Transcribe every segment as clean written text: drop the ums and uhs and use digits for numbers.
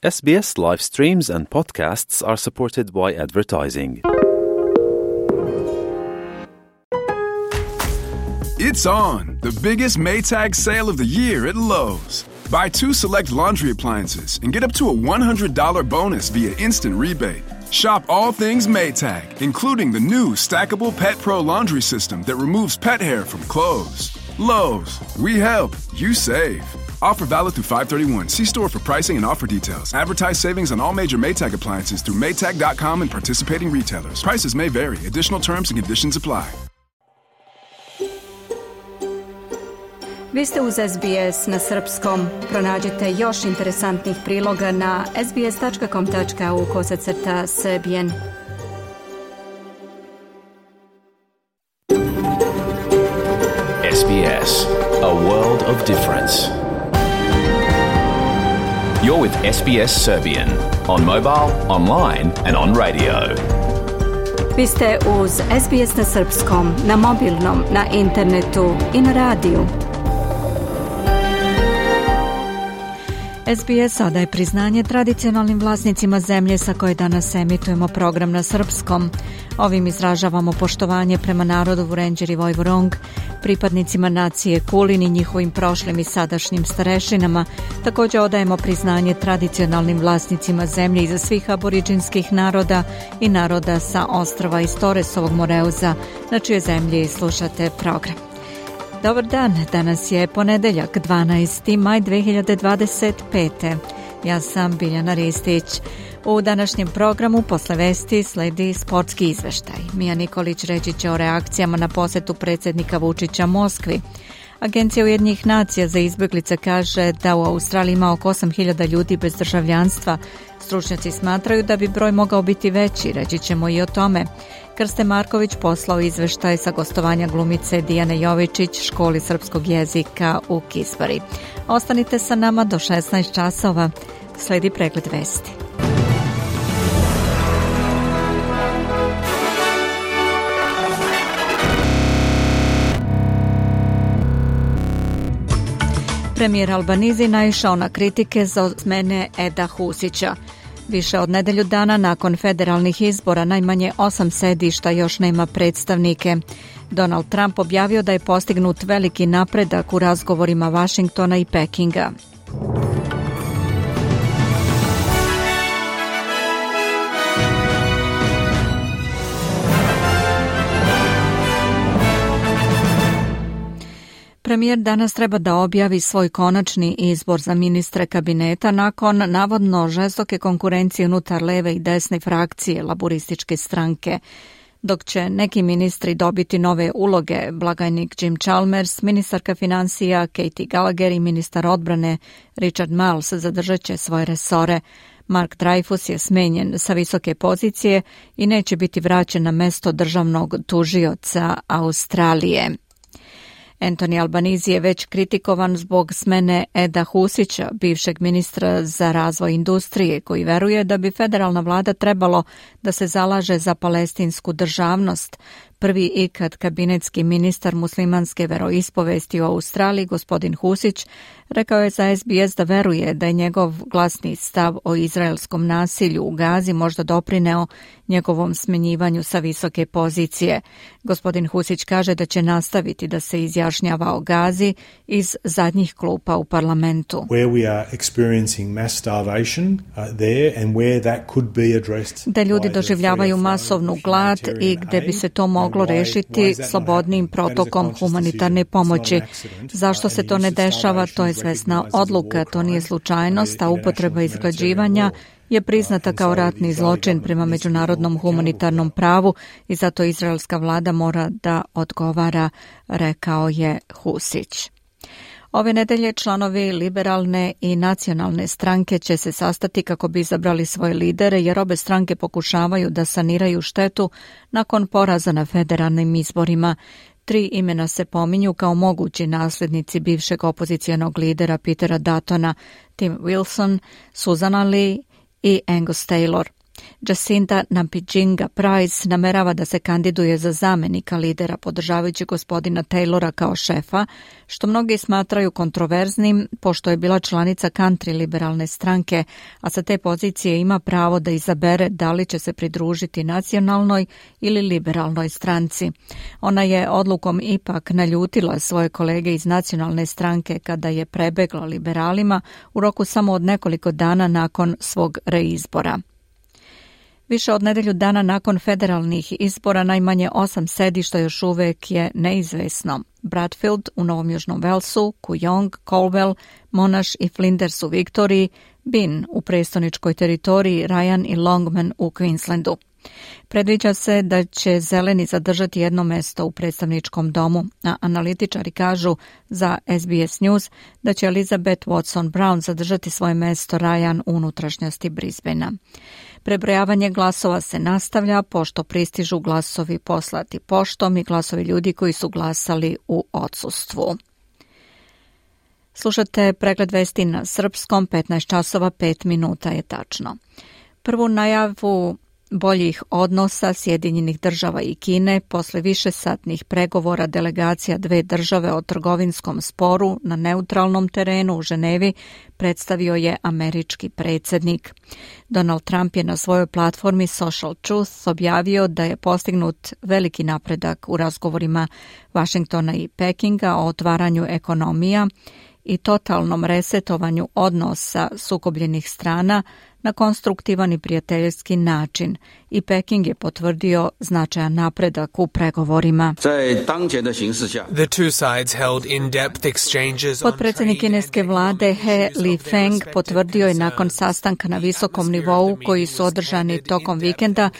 SBS live streams and podcasts are supported by advertising. It's on, the biggest Maytag sale of the year at Lowe's. Buy 2 select laundry appliances and get up to a $100 bonus via instant rebate. Shop all things Maytag, including the new stackable Pet Pro laundry system that removes pet hair from clothes. Lowe's, we help, you save. Offer valid through 5/31. See store for pricing and offer details. Advertise savings on all major Maytag appliances through Maytag.com and participating retailers. Prices may vary. Additional terms and conditions apply. Vi ste uz SBS na srpskom. Pronađite još interesantnih priloga na sbs.com.au/serbian. SBS, a world of difference. You're with SBS Serbian on mobile, online and on radio. Vi ste uz SBS na srpskom, na mobilnom, na internetu i na radiju. SBS odaje priznanje tradicionalnim vlasnicima zemlje sa koje danas emitujemo program na srpskom. Ovim izražavamo poštovanje prema narodu Vurenđer i Vojvorong, pripadnicima nacije Kulin i njihovim prošlim i sadašnjim starešinama. Također odajemo priznanje tradicionalnim vlasnicima zemlje iza svih aboriđinskih naroda i naroda sa ostrva iz Toresovog Moreuza, na čije zemlji slušate program. Dobar dan, danas je ponedeljak, 12. maj 2025. Ja sam Biljana Ristić. U današnjem programu posle vesti sledi sportski izveštaj. Mija Nikolić reći će o reakcijama na posetu predsjednika Vučića Moskvi. Agencija Ujedinjenih nacija za izbjeglice kaže da u Australiji ima oko 8.000 ljudi bez državljanstva. Stručnjaci smatraju da bi broj mogao biti veći, reći ćemo i o tome. Krste Marković poslao izveštaj sa gostovanja glumice Dijane Jovičić školi srpskog jezika u Kisbari. Ostanite sa nama do 16 časova. Sledi pregled vesti. Premijer Albanizi naišao na kritike za smene Eda Husića. Više od nedelju dana nakon federalnih izbora najmanje 8 sedišta još nema predstavnike. Donald Trump objavio da je postignut veliki napredak u razgovorima Vašingtona i Pekinga. Premijer danas treba da objavi svoj konačni izbor za ministre kabineta nakon navodno žestoke konkurencije unutar leve i desne frakcije laburističke stranke. Dok će neki ministri dobiti nove uloge, blagajnik Jim Chalmers, ministarka financija Katie Gallagher i ministar odbrane Richard Marles zadržat će svoje resore. Mark Dreyfus je smenjen sa visoke pozicije i neće biti vraćen na mesto državnog tužioca Australije. Anthony Albanese je već kritikovan zbog smene Eda Husića, bivšeg ministra za razvoj industrije, koji veruje da bi federalna vlada trebalo da se zalaže za palestinsku državnost. Prvi ikad kabinetski ministar muslimanske veroispovesti u Australiji, gospodin Husić, rekao je za SBS da veruje da je njegov glasni stav o izraelskom nasilju u Gazi možda doprineo njegovom smenjivanju sa visoke pozicije. Gospodin Husić kaže da će nastaviti da se izjašnjava o Gazi iz zadnjih klupa u parlamentu. Da ljudi doživljavaju masovnu glad i gde bi se to moglo rešiti slobodnim protokom humanitarne pomoći. Zašto se to ne dešava, to je svesna odluka, to nije slučajnost, a upotreba izglađivanja je priznata kao ratni zločin prema međunarodnom humanitarnom pravu i zato izraelska vlada mora da odgovara, rekao je Husić. Ove nedelje članovi liberalne i nacionalne stranke će se sastati kako bi izabrali svoje lidere, jer obe stranke pokušavaju da saniraju štetu nakon poraza na federalnim izborima. 3 imena se pominju kao mogući nasljednici bivšeg opozicijonog lidera Petera Duttona, Tim Wilson, Susan Lee i Angus Taylor. Jacinda Nampijinga Price namerava da se kandiduje za zamenika lidera podržavajući gospodina Taylora kao šefa, što mnogi smatraju kontroverznim pošto je bila članica country liberalne stranke, a sa te pozicije ima pravo da izabere da li će se pridružiti nacionalnoj ili liberalnoj stranci. Ona je odlukom ipak naljutila svoje kolege iz nacionalne stranke kada je prebegla liberalima u roku samo od nekoliko dana nakon svog reizbora. Više od nedelju dana nakon federalnih izbora najmanje 8 sedišta još uvek je neizvesno. Bradfield u Novom Južnom Walesu, Kooyong, Colwell, Monash i Flinders u Viktoriji, Bin u prestoničkoj teritoriji, Ryan i Longman u Queenslandu. Predviđa se da će zeleni zadržati jedno mesto u predstavničkom domu, a analitičari kažu za SBS News da će Elizabeth Watson-Brown zadržati svoje mesto Ryan u unutrašnjosti Brisbanea. Prebrojavanje glasova se nastavlja pošto pristižu glasovi poslati poštom i glasovi ljudi koji su glasali u odsustvu. Slušate pregled vesti na srpskom, 15 časova 5 minuta je tačno. Prvu najavu boljih odnosa Sjedinjenih država i Kine posle višesatnih pregovora delegacija dve države o trgovinskom sporu na neutralnom terenu u Ženevi predstavio je američki predsjednik. Donald Trump je na svojoj platformi Social Truth objavio da je postignut veliki napredak u razgovorima Vašingtona i Pekinga o otvaranju ekonomija i totalnom resetovanju odnosa sukobljenih strana na konstruktivan i prijateljski način i Peking je potvrdio značajan napredak u pregovorima. Potpredsjednik kineske vlade He Lifeng potvrdio je nakon sastanka na visokom nivou koji su održani tokom vikenda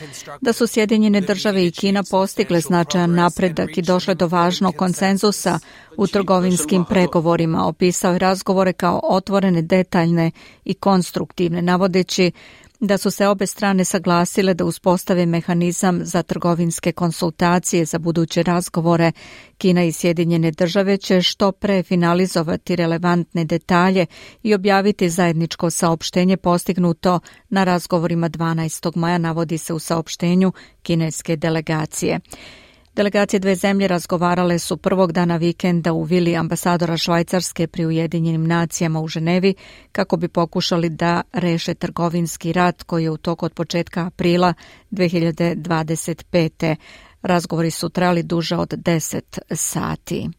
da su Sjedinjene države i Kina postigle značajan napredak i došle do važnog konsenzusa u trgovinskim pregovorima. Opisao je razgovore kao otvorene, detaljne i konstruktivne, navodeći da su se obe strane saglasile da uspostave mehanizam za trgovinske konsultacije za buduće razgovore. Kina i Sjedinjene države će što pre finalizovati relevantne detalje i objaviti zajedničko saopštenje postignuto na razgovorima 12. maja, navodi se u saopštenju kineske delegacije. Delegacije dve zemlje razgovarale su prvog dana vikenda u vili ambasadora Švajcarske pri Ujedinjenim nacijama u Ženevi kako bi pokušali da reše trgovinski rat koji je u toku od početka aprila 2025. Razgovori su trajali duže od 10 sati.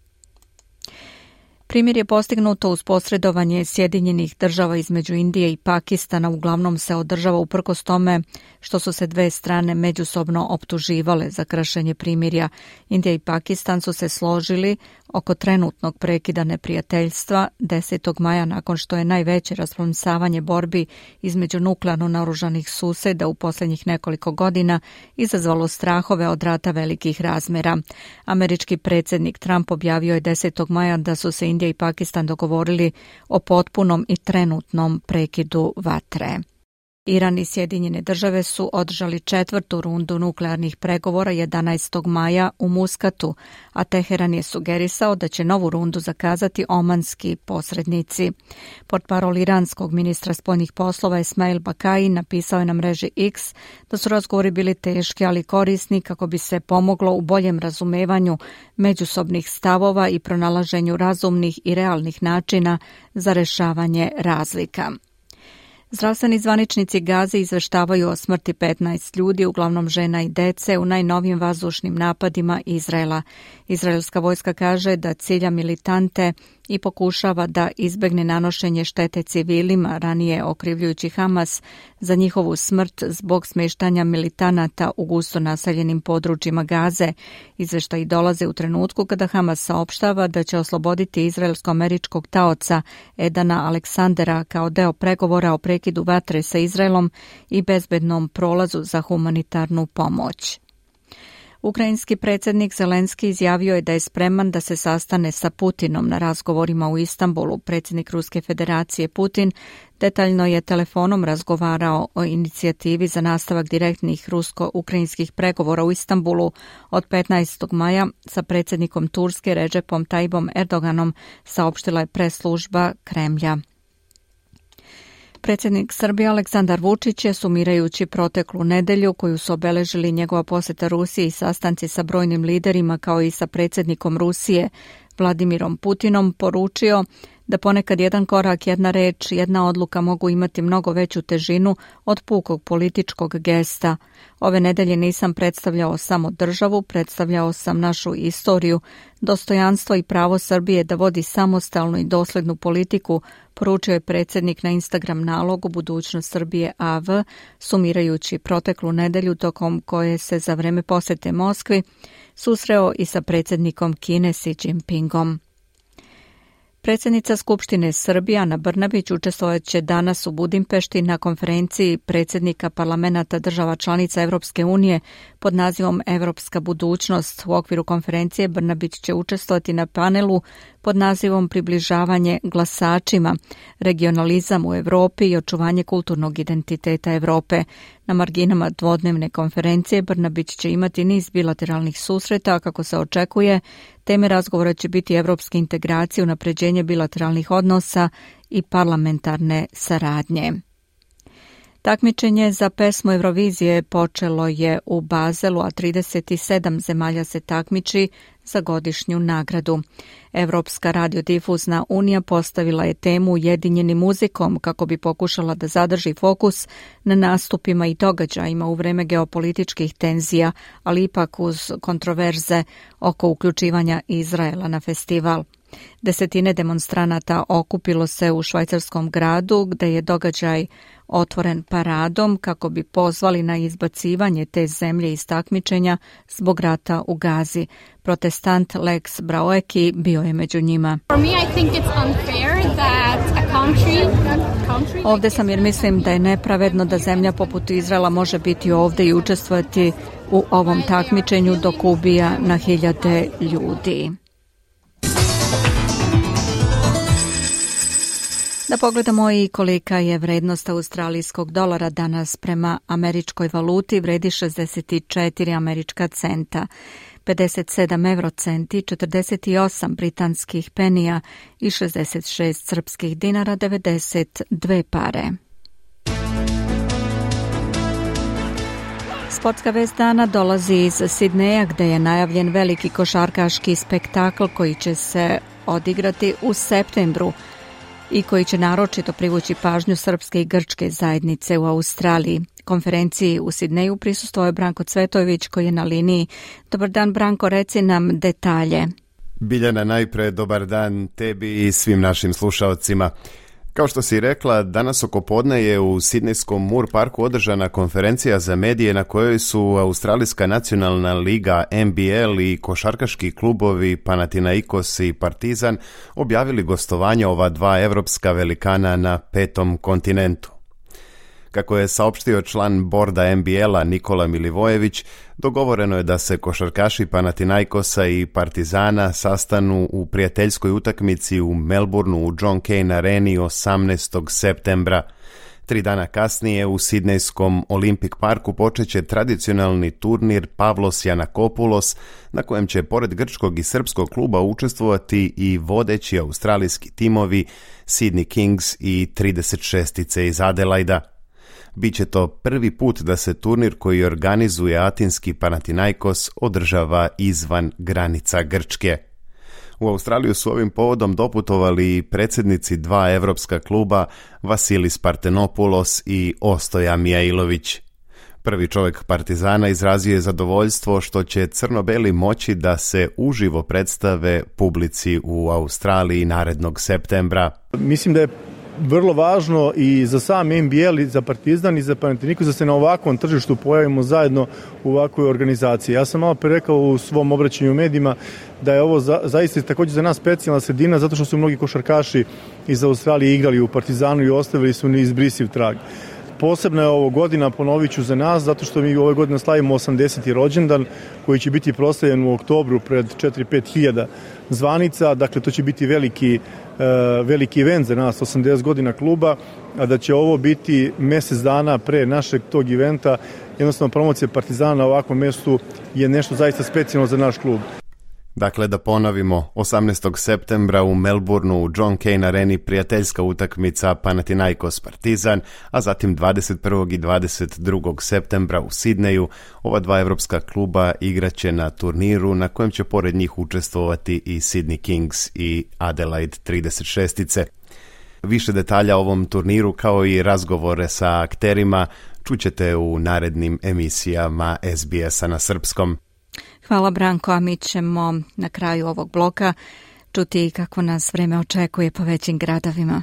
Primjer je postignuto uz posredovanje Sjedinjenih država između Indije i Pakistana, uglavnom se održava uprkos tome što su se dve strane međusobno optuživale za kršenje primirja. Indija i Pakistan su se složili oko trenutnog prekida neprijateljstva 10. maja nakon što je najveće rasplamsavanje borbi između nuklearno naoružanih suseda u posljednjih nekoliko godina izazvalo strahove od rata velikih razmjera. Američki predsjednik Trump objavio je 10. maja da su se Indija i Pakistan dogovorili o potpunom i trenutnom prekidu vatre. Iran i Sjedinjene države su održali četvrtu rundu nuklearnih pregovora 11. maja u Muskatu, a Teheran je sugerisao da će novu rundu zakazati omanski posrednici. Portparol iranskog ministra spoljnih poslova Esmail Bakai napisao je na mreži X da su razgovori bili teški, ali korisni kako bi se pomoglo u boljem razumevanju međusobnih stavova i pronalaženju razumnih i realnih načina za rešavanje razlika. Zdravstveni zvaničnici Gaze izveštavaju o smrti 15 ljudi, uglavnom žena i dece, u najnovijim vazdušnim napadima Izraela. Izraelska vojska kaže da cilja militante i pokušava da izbegne nanošenje štete civilima, ranije okrivljujući Hamas za njihovu smrt zbog smještanja militanata u gusto naseljenim područjima Gaze. Izveštaji dolaze u trenutku kada Hamas saopštava da će osloboditi izraelsko-američkog taoca Edana Aleksandera kao deo pregovora o prekidu vatre sa Izraelom i bezbednom prolazu za humanitarnu pomoć. Ukrajinski predsjednik Zelenski izjavio je da je spreman da se sastane sa Putinom na razgovorima u Istanbulu. Predsjednik Ruske federacije Putin detaljno je telefonom razgovarao o inicijativi za nastavak direktnih rusko-ukrajinskih pregovora u Istanbulu od 15. maja sa predsjednikom Turske Recepom Tayyipom Erdoganom, saopštila je press služba Kremlja. Predsjednik Srbije Aleksandar Vučić je, sumirajući proteklu nedelju koju su obeležili njegova posjeta Rusiji i sastanci sa brojnim liderima kao i sa predsjednikom Rusije Vladimirom Putinom, poručio da ponekad jedan korak, jedna reč, jedna odluka mogu imati mnogo veću težinu od pukog političkog gesta. Ove nedelje nisam predstavljao samo državu, predstavljao sam našu istoriju, dostojanstvo i pravo Srbije da vodi samostalnu i doslednu politiku, poručio je predsjednik na Instagram nalogu Budućnost Srbije AV, sumirajući proteklu nedelju tokom koje se za vreme posjete Moskvi susreo i sa predsjednikom Kine Xi Jinpingom. Predsjednica Skupštine Srbije Ana Brnabić učestvovat će danas u Budimpešti na konferenciji predsjednika parlamenata država članica Evropske unije pod nazivom Evropska budućnost. U okviru konferencije Brnabić će učestvovati na panelu pod nazivom Približavanje glasačima, regionalizam u Europi i očuvanje kulturnog identiteta Europe. Na marginama dvodnevne konferencije Brnabić će imati niz bilateralnih susreta, kako se očekuje. Teme razgovora će biti evropske integracije, unapređenje bilateralnih odnosa i parlamentarne saradnje. Takmičenje za pesmu Eurovizije počelo je u Bazelu, a 37 zemalja se takmiči za godišnju nagradu. Evropska radiodifuzna unija postavila je temu Ujedinjeni muzikom kako bi pokušala da zadrži fokus na nastupima i događajima u vreme geopolitičkih tenzija, ali ipak uz kontroverze oko uključivanja Izraela na festival. Desetine demonstranata okupilo se u švajcarskom gradu, gde je događaj otvoren paradom kako bi pozvali na izbacivanje te zemlje iz takmičenja zbog rata u Gazi. Protestant Lex Braueki bio je među njima. Ovde sam jer mislim da je nepravedno da zemlja poput Izraela može biti ovde i učestvovati u ovom takmičenju dok ubija na hiljade ljudi. Da pogledamo i kolika je vrednost australijskog dolara danas prema američkoj valuti, vredi 64 američka centa, 57 eurocenti, 48 britanskih penija i 66 srpskih dinara, 92 pare. Sportska vest dana dolazi iz Sidneja, gde je najavljen veliki košarkaški spektakl koji će se odigrati u septembru i koji će naročito privući pažnju srpske i grčke zajednice u Australiji. Konferenciji u Sidneju prisustvovao je Branko Cvetojević koji je na liniji. Dobar dan Branko, reci nam detalje. Biljana, najpre dobar dan tebi i svim našim slušaocima. Kao što si rekla, danas oko podne je u Sidnejskom Moor Parku održana konferencija za medije na kojoj su Australijska nacionalna liga NBL i košarkaški klubovi Panathinaikos i Partizan objavili gostovanje ova dva evropska velikana na 5. kontinentu. Kako je saopštio član borda NBL-a Nikola Milivojević, dogovoreno je da se košarkaši Panathinaikosa i Partizana sastanu u prijateljskoj utakmici u Melbourneu u John Cain Areni 18. septembra. 3 dana kasnije u Sidnejskom Olympic Parku počeće tradicionalni turnir Pavlos Janakopoulos, na kojem će pored grčkog i srpskog kluba učestvovati i vodeći australijski timovi Sydney Kings i 36-ice iz Adelaida. Biće to prvi put da se turnir koji organizuje atinski Panathinaikos održava izvan granica Grčke. U Australiju su ovim povodom doputovali predsjednici dva evropska kluba Vasilis Partenopoulos i Ostoja Mijailović. Prvi čovjek Partizana izrazio je zadovoljstvo što će crno-beli moći da se uživo predstave publici u Australiji narednog septembra. Mislim da je vrlo važno i za sam NBL i za Partizan i za Panathinaikos da se na ovakvom tržištu pojavimo zajedno u ovakvoj organizaciji. Ja sam malo pre rekao u svom obraćanju u medijima da je ovo zaista također za nas specijalna sredina zato što su mnogi košarkaši iz Australije igrali u Partizanu i ostavili su neizbrisiv trag. Posebna je ovo godina, ponovit ću za nas, zato što mi ove godine slavimo 80. rođendan koji će biti proslavljen u oktobru pred 4-5 hiljada zvanica. Dakle, to će biti veliki event za nas, 80 godina kluba, a da će ovo biti mjesec dana pre našeg tog eventa. Jednostavno, promocija Partizana na ovakvom mjestu je nešto zaista specijalno za naš klub. Dakle, da ponovimo, 18. septembra u Melbourneu u John Cain areni prijateljska utakmica Panathinaikos Partizan, a zatim 21. i 22. septembra u Sidneju ova dva evropska kluba igraće na turniru na kojem će pored njih učestvovati i Sydney Kings i Adelaide 36-ice. Više detalja o ovom turniru kao i razgovore sa akterima čućete u narednim emisijama SBS-a na srpskom. Hvala Branko, a mi ćemo na kraju ovog bloka čuti kako nas vreme očekuje po većim gradovima.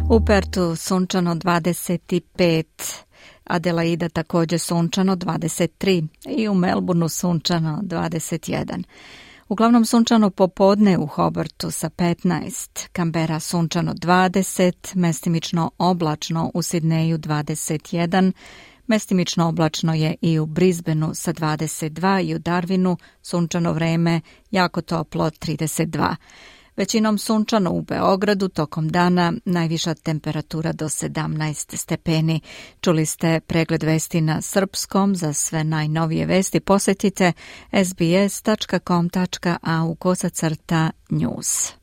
U Pertu sunčano 25, Adelaida također sunčano 23 i u Melbourneu sunčano 21. Uglavnom sunčano popodne u Hobartu sa 15, Canberra sunčano 20, mestimično oblačno u Sidneju 21, mestimično oblačno je i u Brisbaneu sa 22 i u Darwinu sunčano vreme, jako toplo 32. Većinom sunčano u Beogradu, tokom dana najviša temperatura do 17 stepeni. Čuli ste pregled vesti na srpskom. Za sve najnovije vesti posjetite sbs.com.au/news.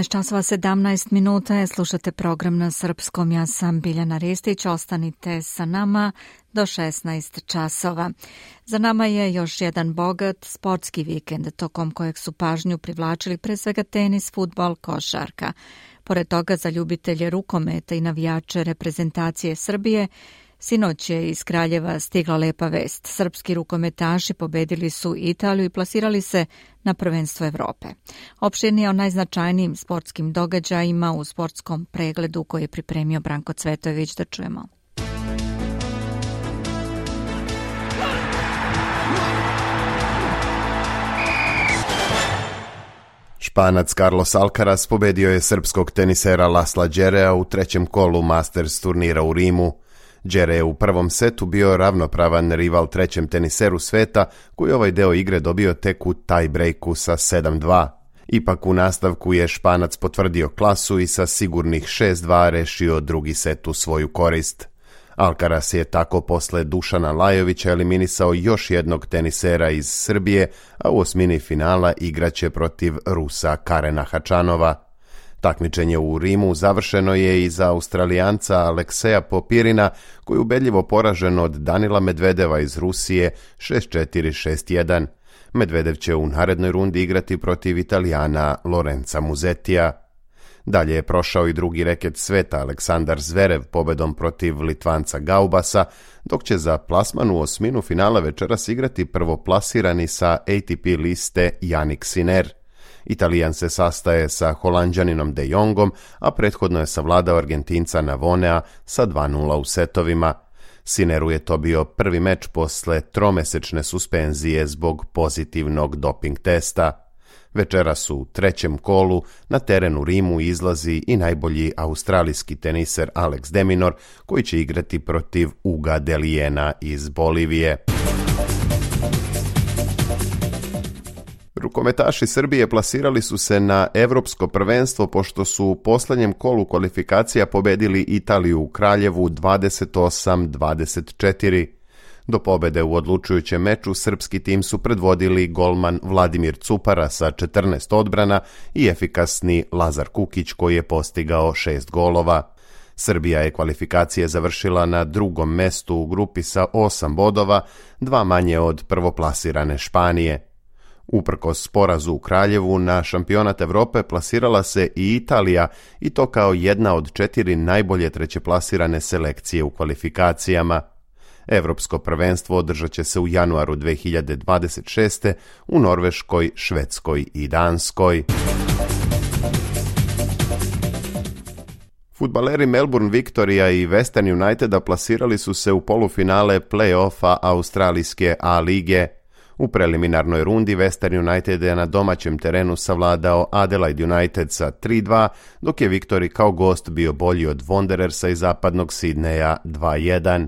časova 17 minuta, slušate program na srpskom. Ja sam Biljana Ristić, ostanite sa nama do 16 časova. Za nama je još jedan bogat sportski vikend, tokom kojeg su pažnju privlačili pre svega tenis, fudbal, košarka. Pored toga, za ljubitelje rukometa i navijače reprezentacije Srbije, sinoć je iz Kraljeva stigla lepa vest. Srpski rukometaši pobedili su Italiju i plasirali se na prvenstvo Evrope. Opširnije o najznačajnijim sportskim događajima u sportskom pregledu koji je pripremio Branko Cvetojević, da čujemo. Španac Carlos Alcaraz pobedio je srpskog tenisera Lasla Džerea u trećem kolu Masters turnira u Rimu. Džere je u prvom setu bio ravnopravan rival trećem teniseru sveta, koji ovaj deo igre dobio tek u tie-breaku sa 7-2. Ipak u nastavku je Španac potvrdio klasu i sa sigurnih 6-2 rešio drugi set u svoju korist. Alcaraz je tako posle Dušana Lajovića eliminisao još jednog tenisera iz Srbije, a u osmini finala igraće protiv Rusa Karena Hačanova. Takmičenje u Rimu završeno je i za Australijanca Alekseja Popirina, koji je ubedljivo poražen od Danila Medvedeva iz Rusije 6-4-6-1. Medvedev će u narednoj rundi igrati protiv Italijana Lorenza Musettija. Dalje je prošao i drugi reket sveta Aleksandar Zverev pobedom protiv Litvanca Gaubasa, dok će za plasman u osminu finala večeras igrati prvoplasirani sa ATP liste Jannik Sinner. Italijan se sastaje sa Holanđaninom De Jongom, a prethodno je savladao Argentinca Navonea sa 2-0 u setovima. Sinneru je to bio prvi meč posle tromesečne suspenzije zbog pozitivnog doping testa. Večeras u trećem kolu na teren u Rimu izlazi i najbolji australijski teniser Alex de Minaur, koji će igrati protiv Uga Delijena iz Bolivije. Rukometaši Srbije plasirali su se na Evropsko prvenstvo pošto su u poslednjem kolu kvalifikacija pobedili Italiju u Kraljevu 28-24. Do pobede u odlučujućem meču srpski tim su predvodili golman Vladimir Cupara sa 14 odbrana i efikasni Lazar Kukić koji je postigao 6 golova. Srbija je kvalifikacije završila na drugom mestu u grupi sa 8 bodova, 2 manje od prvoplasirane Španije. Uprkos porazu u Kraljevu, na šampionat Evrope plasirala se i Italija, i to kao jedna od 4 najbolje trećeplasirane selekcije u kvalifikacijama. Evropsko prvenstvo održat će se u januaru 2026. u Norveškoj, Švedskoj i Danskoj. Fudbaleri Melbourne Victoria i Western Uniteda plasirali su se u polufinale play-offa australijske A lige. U preliminarnoj rundi Western United je na domaćem terenu savladao Adelaide United sa 3-2, dok je Victory kao gost bio bolji od Wanderersa iz zapadnog Sidneja 2-1.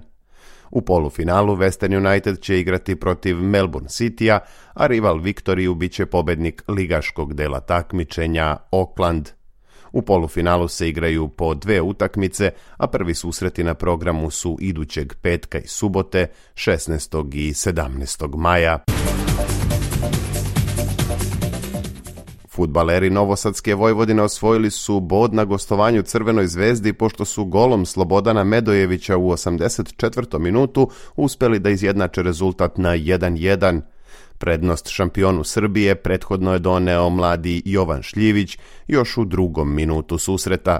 U polufinalu Western United će igrati protiv Melbourne Citya, a rival Viktoriju bit će pobednik ligaškog dela takmičenja Auckland. U polufinalu se igraju po 2 utakmice, a prvi susreti na programu su idućeg petka i subote, 16. i 17. maja. Fudbaleri Novosadske Vojvodine osvojili su bod na gostovanju Crvenoj zvezdi pošto su golom Slobodana Medojevića u 84. minutu uspeli da izjednače rezultat na 1:1. Prednost šampionu Srbije prethodno je doneo mladi Jovan Šljivić još u 2. minutu susreta.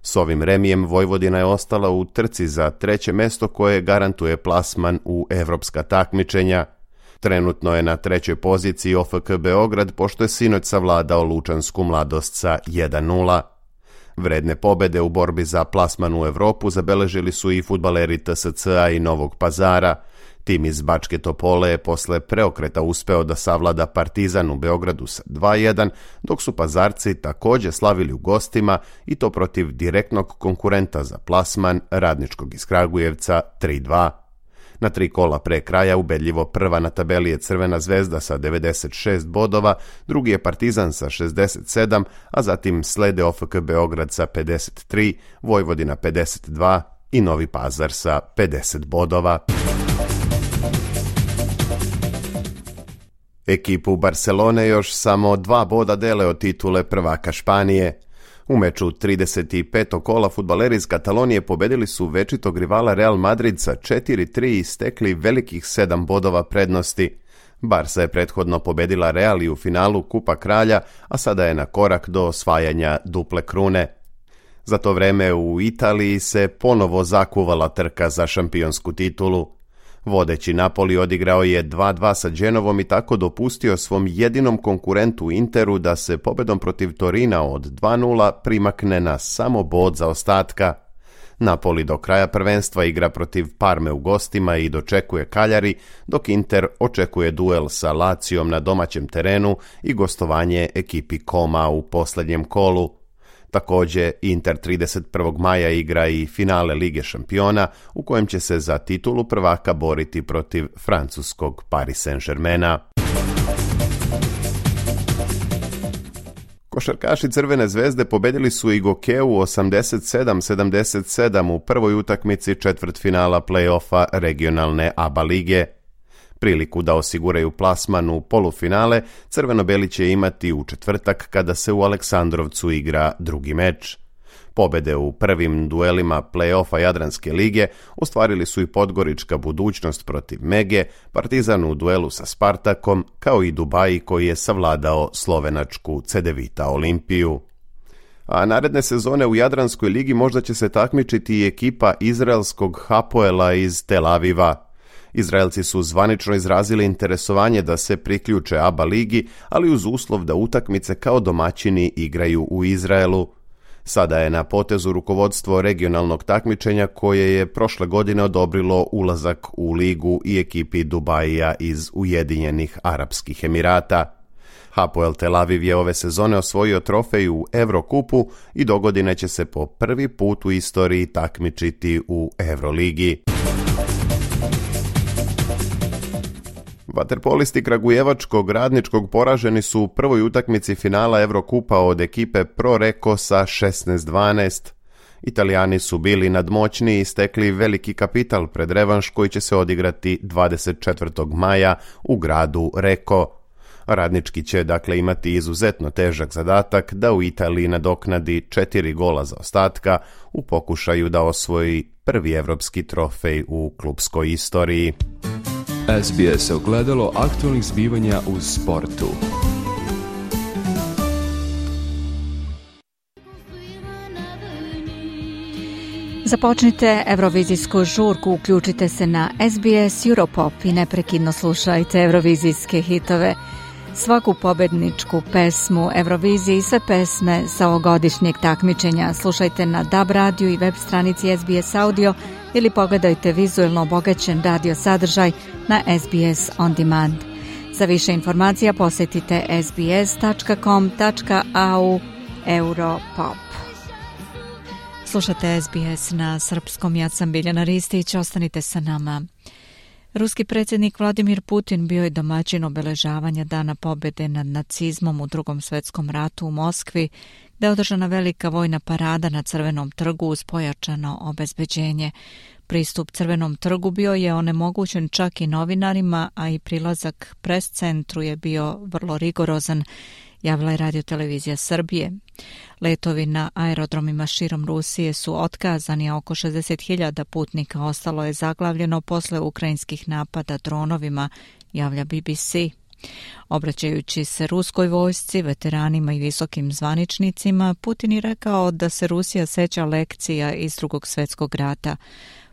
S ovim remijem Vojvodina je ostala u trci za 3. mesto koje garantuje plasman u evropska takmičenja. Trenutno je na 3. poziciji OFK Beograd pošto je sinoć savladao Lučansku Mladost sa 1:0. Vredne pobede u borbi za plasman u Evropu zabeležili su i fudbaleri TSC-a i Novog Pazara. Tim iz Bačke Topole je posle preokreta uspeo da savlada Partizan u Beogradu sa 2:1, dok su Pazarci također slavili u gostima i to protiv direktnog konkurenta za plasman Radničkog iz Kragujevca 3:2. Na 3 kola pre kraja ubedljivo prva na tabeli je Crvena zvezda sa 96 bodova, drugi je Partizan sa 67, a zatim slede OFK Beograd sa 53, Vojvodina 52 i Novi Pazar sa 50 bodova. Ekipu Barcelone još samo 2 boda dele od titule prvaka Španije. U meču 35. kola fudbaleri iz Katalonije pobedili su večitog rivala Real Madrid sa 4:3 i stekli velikih 7 bodova prednosti. Barca je prethodno pobedila Real i u finalu Kupa Kralja, a sada je na korak do osvajanja duple krune. Za to vreme u Italiji se ponovo zakuvala trka za šampionsku titulu. Vodeći Napoli odigrao je 2:2 sa Genovom i tako dopustio svom jedinom konkurentu Interu da se pobedom protiv Torina od 2:0 primakne na samo bod zaostatka. Napoli do kraja prvenstva igra protiv Parme u gostima i dočekuje Cagliari, dok Inter očekuje duel sa Lacijom na domaćem terenu i gostovanje ekipi Koma u posljednjem kolu. Također, Inter 31. maja igra i finale Lige šampiona, u kojem će se za titulu prvaka boriti protiv francuskog Paris Saint-Germaina. Košarkaši Crvene zvezde pobedili su i Gokeu 87-77 u prvoj utakmici četvrtfinala play-offa regionalne ABA lige. Priliku da osiguraju plasman u polufinale crveno-beli će imati u četvrtak kada se u Aleksandrovcu igra drugi meč. Pobede u prvim duelima play-offa Jadranske lige ostvarili su i Podgorička Budućnost protiv Mege, Partizan u duelu sa Spartakom, kao i Dubaji koji je savladao slovenačku Cedevita Olimpiju. A naredne sezone u Jadranskoj ligi možda će se takmičiti i ekipa izraelskog Hapoela iz Tel Aviva. Izraelci su zvanično izrazili interesovanje da se priključe ABA ligi, ali uz uslov da utakmice kao domaćini igraju u Izraelu. Sada je na potezu rukovodstvo regionalnog takmičenja koje je prošle godine odobrilo ulazak u ligu i ekipi Dubaija iz Ujedinjenih Arapskih Emirata. Hapoel Tel Aviv je ove sezone osvojio trofej u Evrokupu i dogodine će se po prvi put u istoriji takmičiti u Evroligi. Vaterpolisti kragujevačkog Radničkog poraženi su u prvoj utakmici finala Evrokupa od ekipe Pro Reko sa 16-12. Italijani su bili nadmoćni i stekli veliki kapital pred revanš koji će se odigrati 24. maja u gradu Reko. Radnički će dakle imati izuzetno težak zadatak da u Italiji nadoknadi 4 gola zaostatka u pokušaju da osvoji prvi evropski trofej u klubskoj istoriji. SBS ogledalo aktualnih zbivanja u sportu. Započnite Eurovizijsku žurku, uključite se na SBS Europop i neprekidno slušajte eurovizijske hitove. Svaku pobedničku pesmu Eurovizije i sve pesme sa ovogodišnjeg takmičenja slušajte na DAB radiju i web stranici SBS Audio ili pogledajte vizuelno obogaćen radio sadržaj na SBS On Demand. Za više informacija posjetite sbs.com.au Europop. Slušate SBS na srpskom, ja sam Biljana Ristić, ostanite sa nama. Ruski predsjednik Vladimir Putin bio je domaćin obeležavanja Dana pobjede nad nacizmom u Drugom svjetskom ratu u Moskvi, gdje je održana velika vojna parada na Crvenom trgu uz pojačano obezbeđenje. Pristup Crvenom trgu bio je onemogućen čak i novinarima, a i prilazak pres centru je bio vrlo rigorozan, javila je Radio-televizija Srbije. Letovi na aerodromima širom Rusije su otkazani, a oko 60.000 putnika ostalo je zaglavljeno posle ukrajinskih napada dronovima, javlja BBC. Obraćajući se ruskoj vojsci, veteranima i visokim zvaničnicima, Putin je rekao da se Rusija seća lekcija iz Drugog svjetskog rata.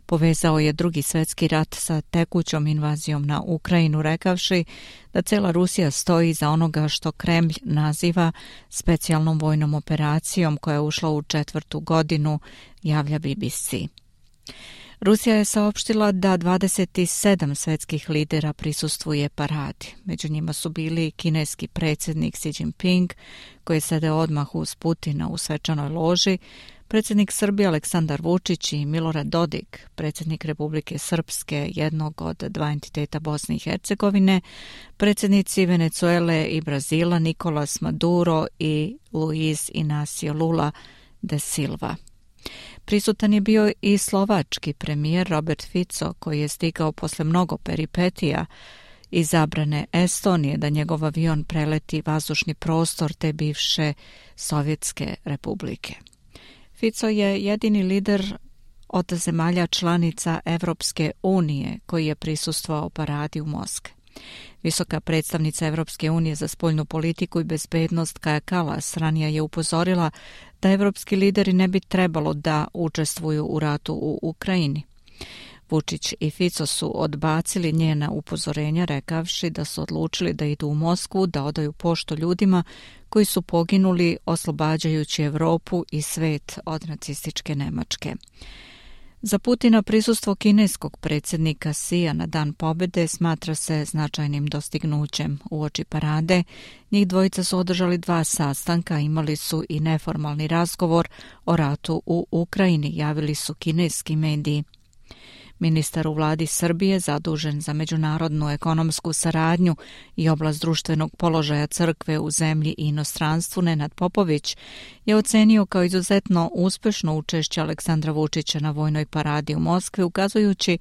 Povezao je Drugi svjetski rat sa tekućom invazijom na Ukrajinu, rekavši da cela Rusija stoji iza onoga što Kremlj naziva specijalnom vojnom operacijom koja je ušla u 4. godinu, javlja BBC. Rusija je saopštila da 27 svjetskih lidera prisustvuje paradi. Među njima su bili kineski predsjednik Xi Jinping, koji sede odmah uz Putina u svečanoj loži, predsjednik Srbije Aleksandar Vučić i Milorad Dodik, predsjednik Republike Srpske, jednog od dva entiteta Bosne i Hercegovine, predsjednici Venezuele i Brazila Nicolas Maduro i Luiz Inácio Lula da Silva. Prisutan je bio i slovački premijer Robert Fico, koji je stigao posle mnogo peripetija i zabrane Estonije da njegov avion preleti vazdušni prostor te bivše Sovjetske republike. Fico je jedini lider od zemalja članica Evropske unije koji je prisustvovao paradi u Moskvi. Visoka predstavnica Evropske unije za spoljnu politiku i bezbednost Kaja Kallas ranije je upozorila da evropski lideri ne bi trebalo da učestvuju u ratu u Ukrajini. Vučić i Fico su odbacili njena upozorenja, rekavši da su odlučili da idu u Moskvu da odaju poštu ljudima koji su poginuli oslobađajući Evropu i svet od nacističke Nemačke. Za Putina prisustvo kineskog predsjednika Xija na Dan pobjede smatra se značajnim dostignućem. Uoči parade njih dvojica su održali 2 sastanka, imali su i neformalni razgovor o ratu u Ukrajini, javili su kineski mediji. Ministar u vladi Srbije, zadužen za međunarodnu ekonomsku saradnju i oblast društvenog položaja crkve u zemlji i inostranstvu, Nenad Popović, je ocenio kao izuzetno uspešno učešće Aleksandra Vučića na vojnoj paradi u Moskvi, ukazujući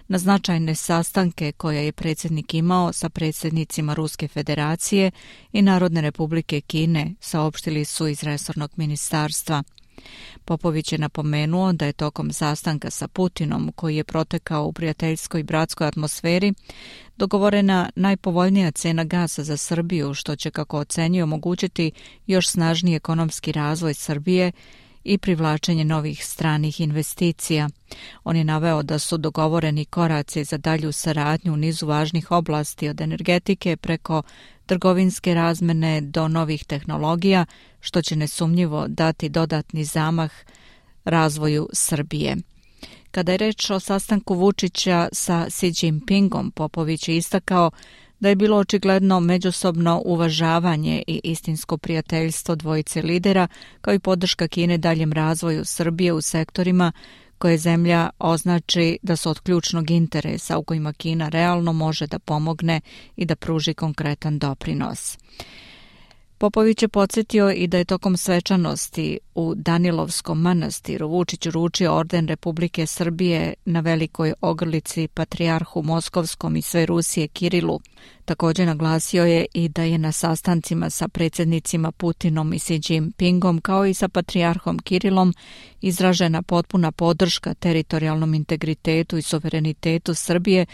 na značajne sastanke koje je predsjednik imao sa predsjednicima Ruske federacije i Narodne republike Kine, saopštili su iz resornog ministarstva. Popović je napomenuo da je tokom sastanka sa Putinom, koji je protekao u prijateljskoj i bratskoj atmosferi, dogovorena najpovoljnija cena gasa za Srbiju, što će, kako ocenjuje, omogućiti još snažniji ekonomski razvoj Srbije i privlačenje novih stranih investicija. On je naveo da su dogovoreni koraci za dalju saradnju u nizu važnih oblasti, od energetike preko trgovinske razmene do novih tehnologija, što će nesumnjivo dati dodatni zamah razvoju Srbije. Kada je reč o sastanku Vučića sa Xi Jinpingom, Popović je istakao da je bilo očigledno međusobno uvažavanje i istinsko prijateljstvo dvojice lidera, kao i podrška Kine daljem razvoju Srbije u sektorima koje zemlja označi da su od ključnog interesa, u kojima Kina realno može da pomogne i da pruži konkretan doprinos. Popović je podsjetio i da je tokom svečanosti u Danilovskom manastiru Vučić uručio orden Republike Srbije na velikoj ogrlici patrijarhu Moskovskom i sve Rusije Kirilu. Također naglasio je i da je na sastancima sa predsjednicima Putinom i Xi Jinpingom kao i sa patrijarhom Kirilom izražena potpuna podrška teritorijalnom integritetu i suverenitetu Srbije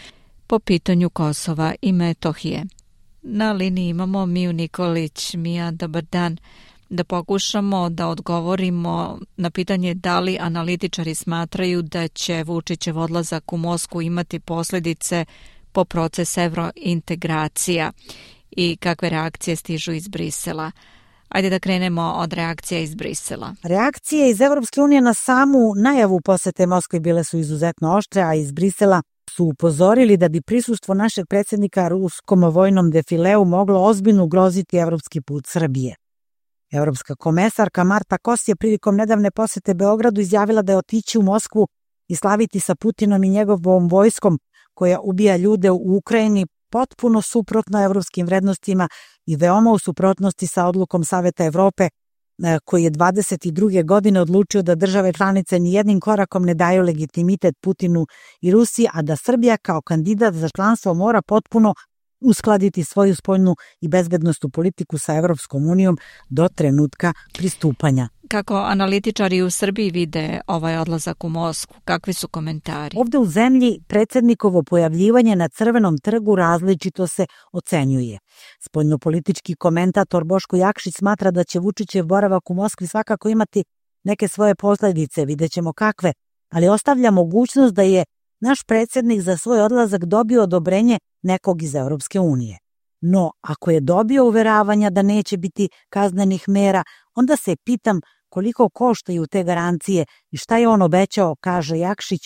po pitanju Kosova i Metohije. Na liniji imamo Miju Nikolić. Mija, dobar dan. Da pokušamo da odgovorimo na pitanje da li analitičari smatraju da će Vučićev odlazak u Moskvu imati posljedice po proces evrointegracija i kakve reakcije stižu iz Brisela. Ajde da krenemo od reakcija iz Brisela. Reakcije iz Evropske unije na samu najavu posete Moskvi bile su izuzetno oštre, a iz Brisela su upozorili da bi prisustvo našeg predsjednika ruskom vojnom defileu moglo ozbiljno ugroziti evropski put Srbije. Evropska komesarka Marta Kos je prilikom nedavne posete Beogradu izjavila da je otići u Moskvu i slaviti sa Putinom i njegovom vojskom koja ubija ljude u Ukrajini potpuno suprotno evropskim vrednostima i veoma u suprotnosti sa odlukom Saveta Evrope koji je 22. godine odlučio da države članice nijednim korakom ne daju legitimitet Putinu i Rusiji, a da Srbija kao kandidat za članstvo mora potpuno uskladiti svoju spoljnu i bezbednosnu politiku sa Evropskom unijom do trenutka pristupanja. Kako analitičari u Srbiji vide ovaj odlazak u Moskvu? Kakvi su komentari? Ovde u zemlji predsjednikovo pojavljivanje na Crvenom trgu različito se ocenjuje. Spoljnopolitički komentator Boško Jakšić smatra da će Vučićev boravak u Moskvi svakako imati neke svoje posljedice, vidjet ćemo kakve, ali ostavlja mogućnost da je naš predsjednik za svoj odlazak dobio odobrenje nekog iz Europske unije. No, ako je dobio uveravanja da neće biti kaznenih mera, onda se pitam koliko koštaju te garancije i šta je on obećao, kaže Jakšić.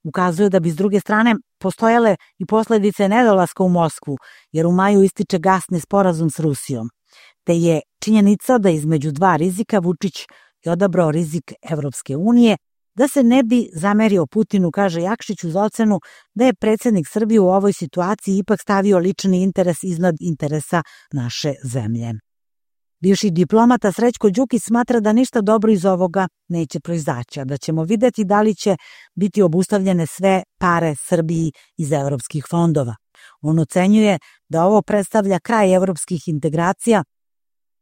Ukazuje da bi s druge strane postojale i posljedice nedolaska u Moskvu, jer u maju ističe gasni sporazum s Rusijom. Te je činjenica da između dva rizika Vučić je odabrao rizik Evropske unije, da se ne bi zamerio Putinu, kaže Jakšić, uz ocenu da je predsjednik Srbije u ovoj situaciji ipak stavio lični interes iznad interesa naše zemlje. Bivši diplomata Srećko Đukić smatra da ništa dobro iz ovoga neće proizaći, a da ćemo vidjeti da li će biti obustavljene sve pare Srbiji iz evropskih fondova. On ocenjuje da ovo predstavlja kraj evropskih integracija,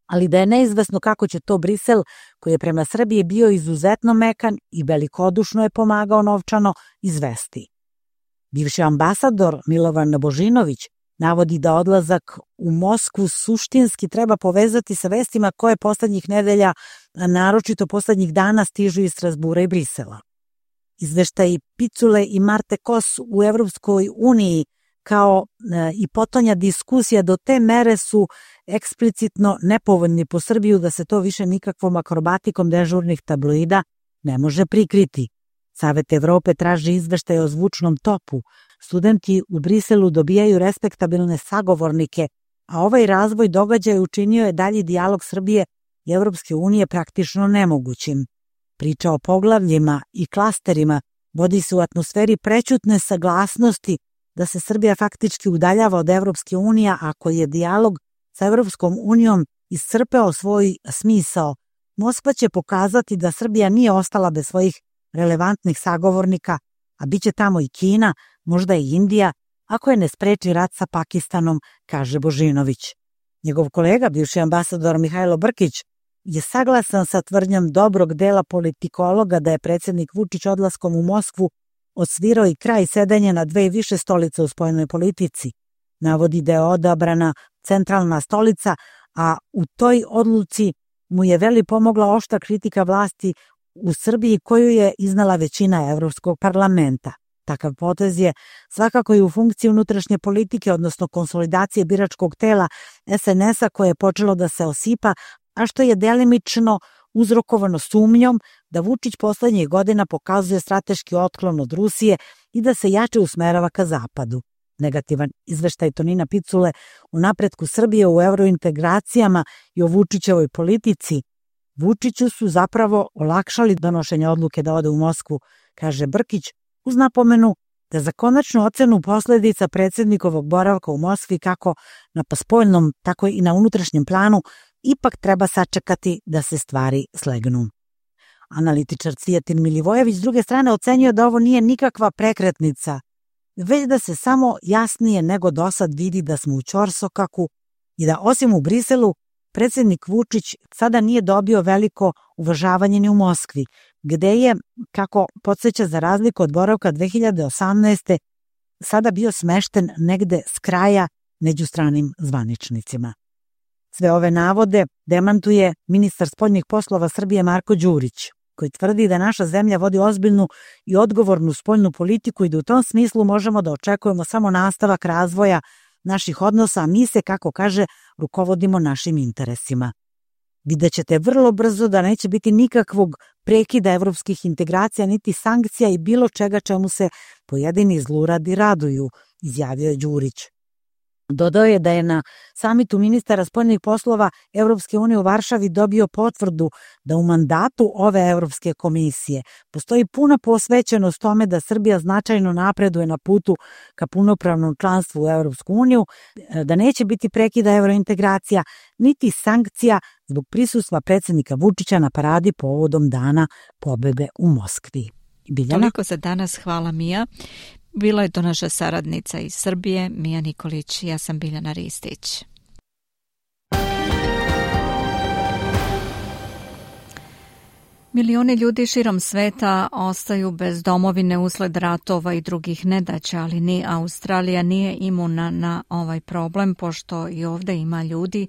ali da je neizvesno kako će to Brisel, koji je prema Srbiji bio izuzetno mekan i velikodušno je pomagao novčano, izvesti. Bivši ambasador Milovan Božinović navodi da odlazak u Moskvu suštinski treba povezati sa vestima koje poslednjih nedelja, a naročito poslednjih dana, stižu iz Strasbura i Brisela. Izveštaji Picule i Marte Kos u Evropskoj uniji kao i potonja diskusija do te mere su eksplicitno nepovoljni po Srbiju da se to više nikakvom akrobatikom dežurnih tabloida ne može prikriti. Savet Evrope traži izveštaje o zvučnom topu. Studenti u Briselu dobijaju respektabilne sagovornike, a ovaj razvoj događaja učinio je dalji dijalog Srbije i Evropske unije praktično nemogućim. Priča o poglavljima i klasterima vodi se u atmosferi prećutne saglasnosti da se Srbija faktički udaljava od Evropske unije, ako je dijalog sa Evropskom unijom iscrpeo svoj smisao. Moskva će pokazati da Srbija nije ostala bez svojih relevantnih sagovornika, a bit će tamo i Kina, možda i Indija, ako je ne spreči rat sa Pakistanom, kaže Božinović. Njegov kolega, bivši ambasador Mihajlo Brkić, je saglasan sa tvrdnjom dobrog dela politikologa da je predsjednik Vučić odlaskom u Moskvu osvirao i kraj sedenja na dve i više stolice u spoljnoj politici. Navodi da je odabrana centralna stolica, a u toj odluci mu je veli pomogla oštra kritika vlasti u Srbiji koju je iznala većina Evropskog parlamenta. Takav potez je svakako i u funkciji unutrašnje politike, odnosno konsolidacije biračkog tela SNS-a koje je počelo da se osipa, a što je delimično uzrokovano sumnjom da Vučić poslednjih godina pokazuje strateški otklon od Rusije i da se jače usmerava ka zapadu. Negativan izveštaj Tonina Picule o napretku Srbije u eurointegracijama i o Vučićevoj politici Vučiću su zapravo olakšali donošenje odluke da ode u Moskvu, kaže Brkić, uz napomenu da za konačnu ocenu posledica predsjednikovog boravka u Moskvi kako na spoljnom, tako i na unutrašnjem planu ipak treba sačekati da se stvari slegnu. Analitičar Cvijetin Milivojević s druge strane ocenjuje da ovo nije nikakva prekretnica, već da se samo jasnije nego dosad vidi da smo u ćorsokaku i da osim u Briselu predsjednik Vučić sada nije dobio veliko uvažavanje ni u Moskvi, gde je, kako podsjeća za razliku od boravka 2018. sada bio smešten negde s kraja među stranim zvaničnicima. Sve ove navode demantuje ministar spoljnih poslova Srbije Marko Đurić, koji tvrdi da naša zemlja vodi ozbiljnu i odgovornu spoljnu politiku i da u tom smislu možemo da očekujemo samo nastavak razvoja naših odnosa, a mi se, kako kaže, rukovodimo našim interesima. Vidjet ćete vrlo brzo da neće biti nikakvog prekida evropskih integracija, niti sankcija i bilo čega čemu se pojedini zluradi raduju, izjavio je Đurić. Dodao je da je na samitu ministara spoljnih poslova Evropske unije u Varšavi dobio potvrdu da u mandatu ove Evropske komisije postoji puna posvećenost tome da Srbija značajno napreduje na putu ka punopravnom članstvu u Evropsku uniju, da neće biti prekida evrointegracija, niti sankcija zbog prisustva predsjednika Vučića na paradi povodom Dana pobede u Moskvi. Biljana? Toliko za danas, hvala Mija. Bila je to naša saradnica iz Srbije, Mija Nikolić, ja sam Biljana Ristić. Milioni ljudi širom sveta ostaju bez domovine usled ratova i drugih nedaća, ali ni Australija nije imuna na ovaj problem, pošto i ovdje ima ljudi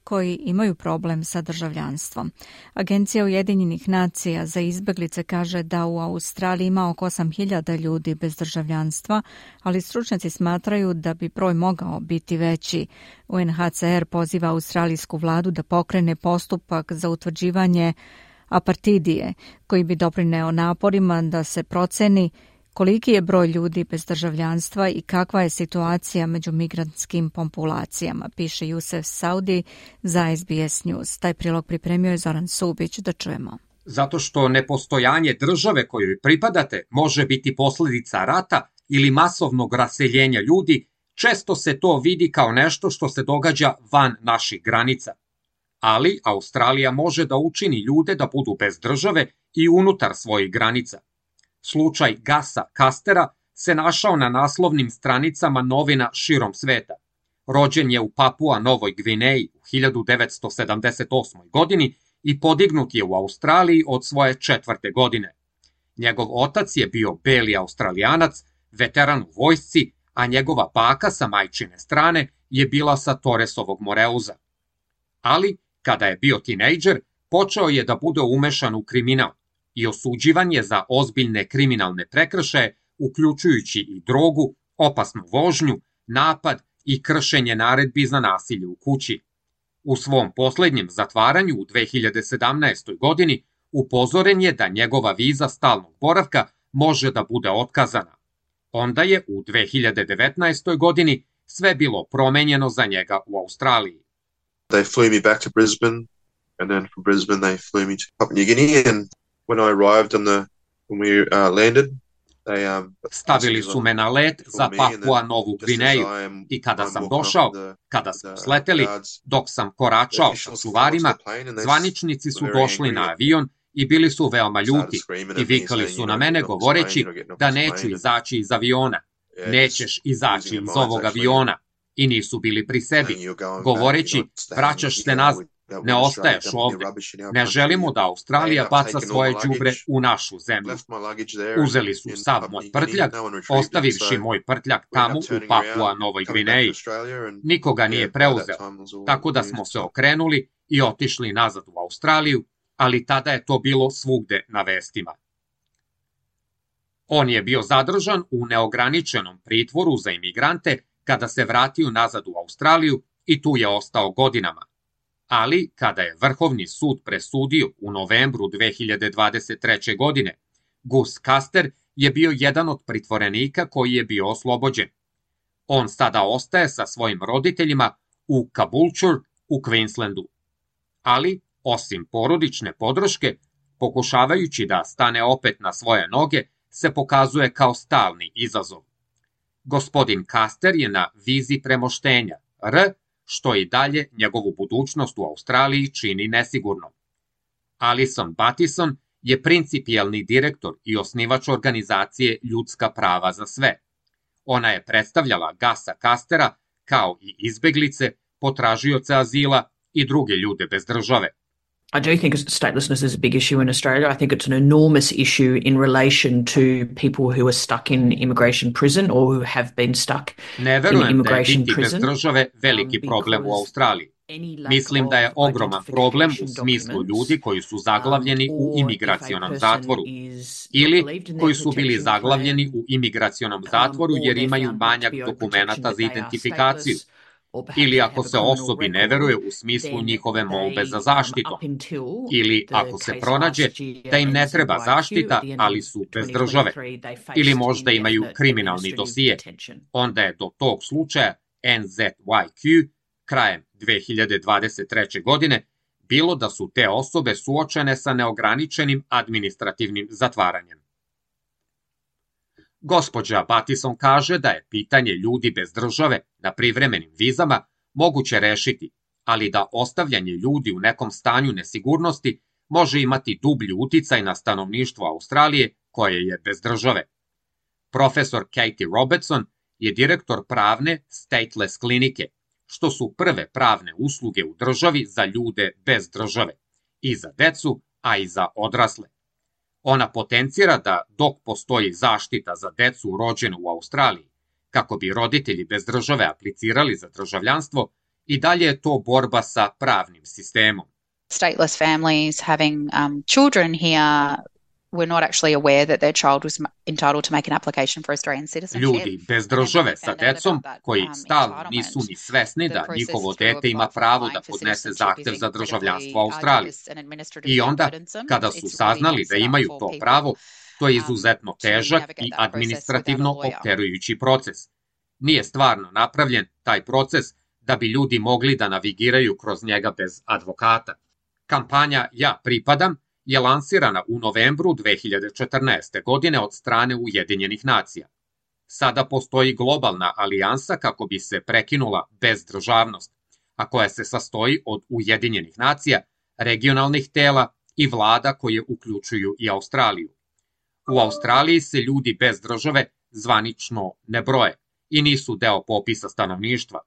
koji imaju problem sa državljanstvom. Agencija Ujedinjenih nacija za izbeglice kaže da u Australiji ima oko 8.000 ljudi bez državljanstva, ali stručnjaci smatraju da bi broj mogao biti veći. UNHCR poziva australijsku vladu da pokrene postupak za utvrđivanje apartidije, koji bi doprineo naporima da se proceni koliki je broj ljudi bez državljanstva i kakva je situacija među migrantskim populacijama, piše Jusef Saudi za SBS News. Taj prilog pripremio je Zoran Subić, da čujemo. Zato što nepostojanje države kojoj pripadate može biti posljedica rata ili masovnog raseljenja ljudi, često se to vidi kao nešto što se događa van naših granica. Ali Australija može da učini ljude da budu bez države i unutar svojih granica. Slučaj Gasa Kastera se našao na naslovnim stranicama novina širom sveta. Rođen je u Papua Novoj Gvineji u 1978. godini i podignut je u Australiji od svoje 4. godine. Njegov otac je bio beli Australijanac, veteran u vojsci, a njegova baka sa majčine strane je bila sa Torresovog Moreuza. Ali, kada je bio tinejdžer, počeo je da bude umešan u kriminal i osuđivan je za ozbiljne kriminalne prekršaje, uključujući i drogu, opasnu vožnju, napad i kršenje naredbi za nasilje u kući. U svom posljednjem zatvaranju u 2017. godini upozoren je da njegova viza stalnog boravka može da bude otkazana. Onda je u 2019. godini sve bilo promenjeno za njega u Australiji. They flew me back to Brisbane, and then from Brisbane they flew me to Papua New Guinea, and when I arrived when we landed, stavili su me na let za Papua Novu Gvineju i kada sam došao, kada smo sleteli, dok sam koračao sa čuvarima, zvaničnici su došli na avion i bili su veoma ljuti i vikali su na mene govoreći da neću izaći iz aviona. Nećeš izaći iz ovog aviona. I nisu bili pri sebi, govoreći vraćaš se nazad, ne ostaješ ovdje. Ne želimo da Australija baca svoje đubre u našu zemlju. Uzeli su sav moj prtljak, ostavivši moj prtljak tamo u Papua Novoj Gvineji. Nikoga nije preuzeo, tako da smo se okrenuli i otišli nazad u Australiju, ali tada je to bilo svugde na vestima. On je bio zadržan u neograničenom pritvoru za imigrante kada se vratio nazad u Australiju i tu je ostao godinama. Ali, kada je Vrhovni sud presudio u novembru 2023. godine, Gus Kaster je bio jedan od pritvorenika koji je bio oslobođen. On sada ostaje sa svojim roditeljima u Caboolture u Queenslandu. Ali, osim porodične podrške, pokušavajući da stane opet na svoje noge, se pokazuje kao stalni izazov. Gospodin Kaster je na vizi premoštenja, što i dalje njegovu budućnost u Australiji čini nesigurnom. Alison Battison je principijelni direktor i osnivač organizacije Ljudska prava za sve. Ona je predstavljala Gasa Kastera kao i izbeglice, potražioce azila i druge ljude bez države. I do think statelessness is a big issue in Australia. I think it's an enormous issue in relation to people who are stuck in immigration prison or who have been stuck in immigration prison. Ne verujem da je biti bez države veliki problem u Australiji. Mislim da je ogroman problem u smislu ljudi koji su zaglavljeni u imigracionom zatvoru ili koji su bili zaglavljeni u imigracionom zatvoru jer imaju manjak dokumenata za identifikaciju. Ili ako se osobi ne veruje u smislu njihove molbe za zaštitom, ili ako se pronađe da im ne treba zaštita, ali su bez države, ili možda imaju kriminalni dosije, onda je do tog slučaja NZYQ krajem 2023. godine bilo da su te osobe suočene sa neograničenim administrativnim zatvaranjem. Gospođa Battison kaže da je pitanje ljudi bez države na privremenim vizama moguće rešiti, ali da ostavljanje ljudi u nekom stanju nesigurnosti može imati dublji uticaj na stanovništvo Australije koje je bez države. Profesor Katie Robertson je direktor pravne Stateless klinike, što su prve pravne usluge u državi za ljude bez države, i za decu, a i za odrasle. Ona potencira da dok postoji zaštita za decu rođenu u Australiji, kako bi roditelji bez države aplicirali za državljanstvo, i dalje je to borba sa pravnim sistemom. Stateless families having children here were not actually aware that their child was entitled to make an application for Australian citizenship. Ljudi bez države sa decom koji stalno nisu ni svesni da njihovo dete ima pravo da podnese zahtev za državljanstvo Australije. I onda, kada su saznali da imaju to pravo, to je izuzetno težak i administrativno opterujući proces. Nije stvarno napravljen taj proces da bi ljudi mogli da navigiraju kroz njega bez advokata. Kampanja Ja pripadam je lansirana u novembru 2014. godine od strane Ujedinjenih nacija. Sada postoji globalna alijansa kako bi se prekinula bezdržavnost, a koja se sastoji od Ujedinjenih nacija, regionalnih tela i vlada koje uključuju i Australiju. U Australiji se ljudi bez države zvanično ne broje i nisu deo popisa stanovništva.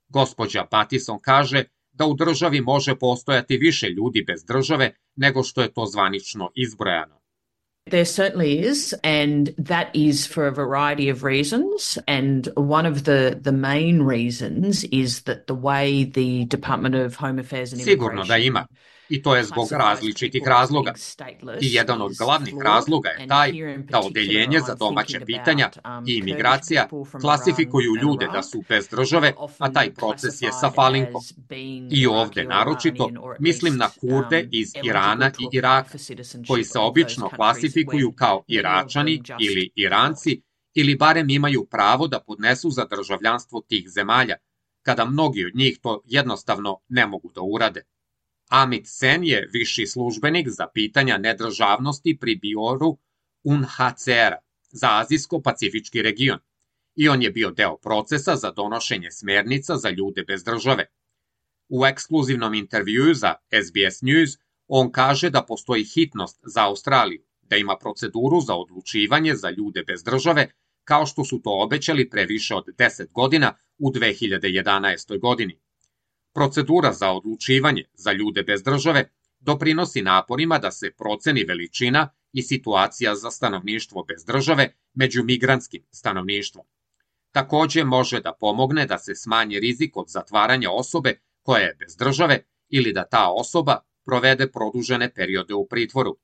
Gospođa Battison kaže da u državi može postojati više ljudi bez države nego što je to zvanično izbrojano. There certainly is, and that is for a variety of reasons. And one of the main reasons is that the way the Department of Home Affairs and Immigration... Sigurno da ima. I to je zbog različitih razloga. I jedan od glavnih razloga je taj da Odeljenje za domaća pitanja i imigracija klasifikuju ljude da su bez države, a taj proces je sa falinkom. I ovde naročito mislim na Kurde iz Irana i Iraka, koji se obično klasifikuju kao Iračani ili Iranci, ili barem imaju pravo da podnesu za državljanstvo tih zemalja, kada mnogi od njih to jednostavno ne mogu da urade. Amit Sen je viši službenik za pitanja nedržavnosti pri birovu UNHCR-a za Azijsko-Pacifički region i on je bio deo procesa za donošenje smernica za ljude bez države. U ekskluzivnom intervjuu za SBS News on kaže da postoji hitnost za Australiju, da ima proceduru za odlučivanje za ljude bez države, kao što su to obećali pre više od 10 godina u 2011. godini. Procedura za odlučivanje za ljude bez države doprinosi naporima da se proceni veličina i situacija za stanovništvo bez države među migrantskim stanovništvom. Takođe može da pomogne da se smanji rizik od zatvaranja osobe koja je bez države ili da ta osoba provede produžene periode u pritvoru.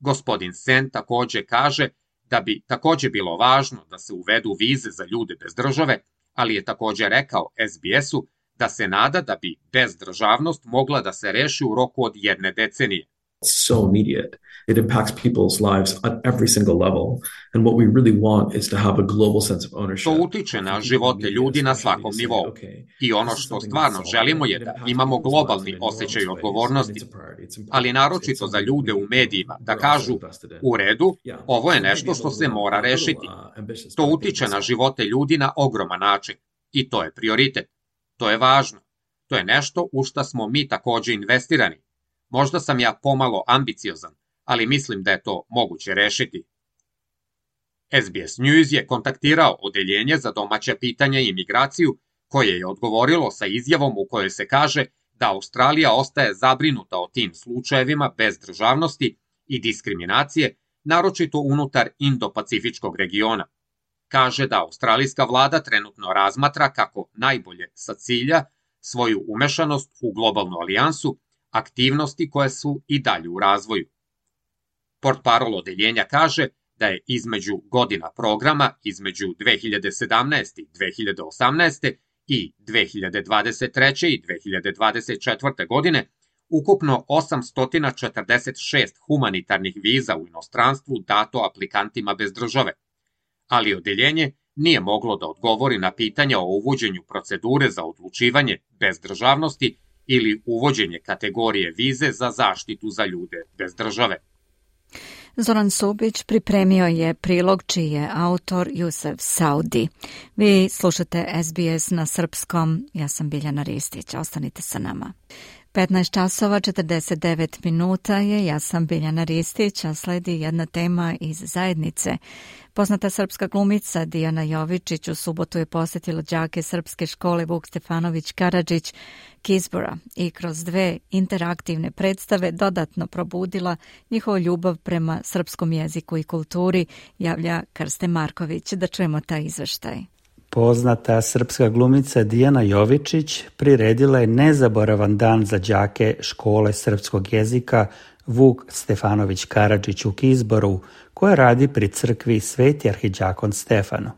Gospodin Sen takođe kaže da bi takođe bilo važno da se uvedu vize za ljude bez države, ali je takođe rekao SBS-u da se nada da bi bezdržavnost mogla da se reši u roku od 1 decenije. So immediate. It impacts people's lives at every single level. And what we really want is to have a global sense of ownership. To utiče na živote ljudi na svakom nivou. I ono što stvarno želimo je da imamo globalni osjećaj odgovornosti, ali naročito za ljude u medijima da kažu u redu, ovo je nešto što se mora rešiti. To utiče na živote ljudi na ogroman način i to je prioritet. To je važno. To je nešto u šta smo mi takođe investirani. Možda sam ja pomalo ambiciozan, ali mislim da je to moguće rešiti. SBS News je kontaktirao Odeljenje za domaća pitanja i imigraciju, koje je odgovorilo sa izjavom u kojoj se kaže da Australija ostaje zabrinuta o tim slučajevima bezdržavnosti i diskriminacije, naročito unutar Indo-Pacifičkog regiona. Kaže da australijska vlada trenutno razmatra kako najbolje sa cilja svoju umešanost u globalnu alijansu, aktivnosti koje su i dalje u razvoju. Portparol Odeljenja kaže da je između godina programa između 2017. i 2018. i 2023. i 2024. godine ukupno 846 humanitarnih viza u inostranstvu dato aplikantima bez države, ali Odeljenje nije moglo da odgovori na pitanja o uvođenju procedure za odlučivanje bez državnosti ili uvođenje kategorije vize za zaštitu za ljude bez države. Zoran Subić pripremio je prilog čiji je autor Jusef Saudi. Vi slušate SBS na srpskom, ja sam Biljana Ristić, ostanite sa nama. 15 časova 49 minuta je, ja sam Biljana Ristić, a sledi jedna tema iz zajednice. Poznata srpska glumica Dijana Jovičić u subotu je posjetila đake srpske škole Vuk Stefanović Karadžić Kizbora i kroz 2 interaktivne predstave dodatno probudila njihovu ljubav prema srpskom jeziku i kulturi, javlja Krste Marković. Da čujemo taj izveštaj. Poznata srpska glumica Dijana Jovičić priredila je nezaboravan dan za đake škole srpskog jezika Vuk Stefanović Karadžić u Kizboru, koja radi pri crkvi Sveti arhidžakon Stefano.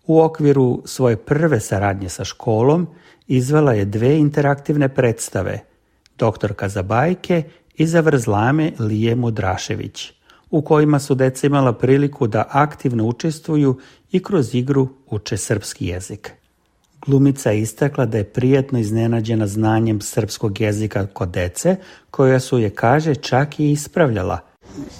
U okviru svoje prve saradnje sa školom izvela je 2 interaktivne predstave, Doktorka za bajke i Zavrzlame Lije Mudrašević, u kojima su deca imala priliku da aktivno učestvuju i kroz igru uče srpski jezik. Glumica je istakla da je prijatno iznenađena znanjem srpskog jezika kod dece, koja su je, kaže, čak i ispravljala.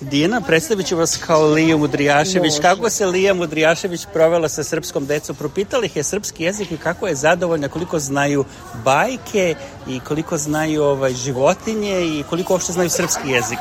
Dijana, predstavit ću vas kao Liju Mudrijašević. Kako se Lija Mudrijašević provela sa srpskom decom? Propitali ih je srpski jezik i kako je zadovoljna, koliko znaju bajke i koliko znaju životinje i koliko uopšte znaju srpski jezik?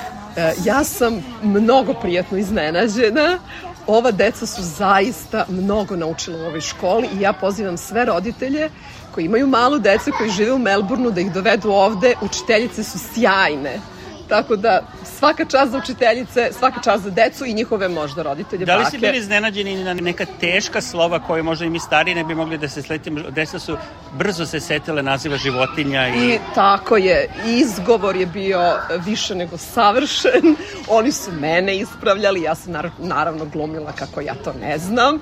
Ja sam mnogo prijatno iznenađena. Ova deca su zaista mnogo naučila u ovoj školi i ja pozivam sve roditelje koji imaju malu decu, koji žive u Melbourneu, da ih dovedu ovde. Učiteljice su sjajne. Tako da svaka čast za učiteljice, svaka čast za decu i njihove možda roditelje, bake. Da li ste bili iznenađeni na neka teška slova koje možda i mi stariji ne bi mogli da se sletimo? Deca su brzo se setile naziva životinja. I tako je. Izgovor je bio više nego savršen. Oni su mene ispravljali. Ja sam naravno glumila kako ja to ne znam.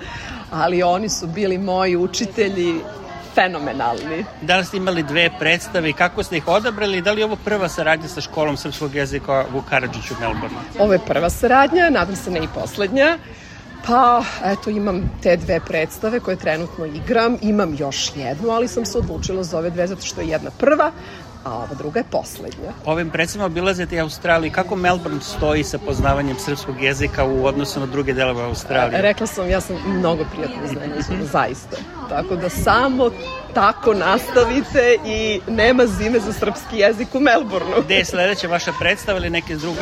Ali oni su bili moji učitelji fenomenalni. Da li ste imali 2 predstave i kako ste ih odabrali? Da li je ovo prva saradnja sa školom srpskog jezika Vuk Karadžić u Melbourneu? Ovo je prva saradnja, nadam se ne i poslednja. Pa, eto, imam te 2 predstave koje trenutno igram. Imam još jednu, ali sam se odlučila za ove 2 zato što je jedna prva, a ova druga je poslednja. Ovim predstavama obilazite i Australiju. Kako Melbourne stoji sa poznavanjem srpskog jezika u odnosu na druge delove Australije? Rekla sam, ja sam mnogo prijatno iznenađena, zaista. Tako da samo tako nastavite i nema zime za srpski jezik u Melbourneu. Gde je sledeća vaša predstava ili neke druge?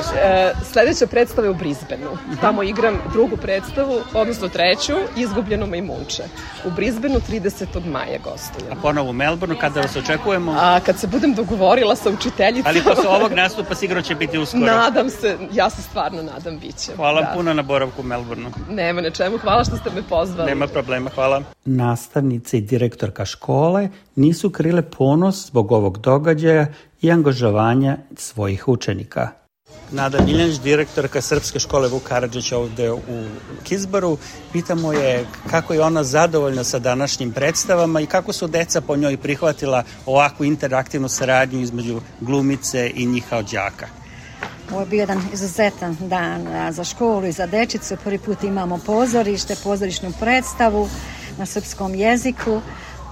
Sledeća predstava je u Brisbaneu. Tamo igram drugu predstavu, odnosno 3. Izgubljeno majmunče. U Brisbaneu 30. maja gostujem. A ponovo u Melbourneu, kada vas očekujemo? Kad se budem dogovorila sa učiteljicom. Ali posle ovog nastupa sigurno će biti uskoro. Nadam se, ja se stvarno nadam, bit će. Hvala puno na boravku u Melbourneu. Nema na čemu, hvala što ste me pozvali. Nema problema, hvala. Nastavnice i direktorka škole nisu krile ponos zbog ovog događaja i angažovanja svojih učenika. Nada Miljanić, direktorka Srpske škole Vuk Karadžić ovde u Kizboru. Pitamo je kako je ona zadovoljna sa današnjim predstavama i kako su deca po njoj prihvatila ovakvu interaktivnu saradnju između glumice i njih kao đaka. Ovo je bio jedan izuzetan dan za školu i za dečicu. Prvi put imamo pozorišnu predstavu na srpskom jeziku.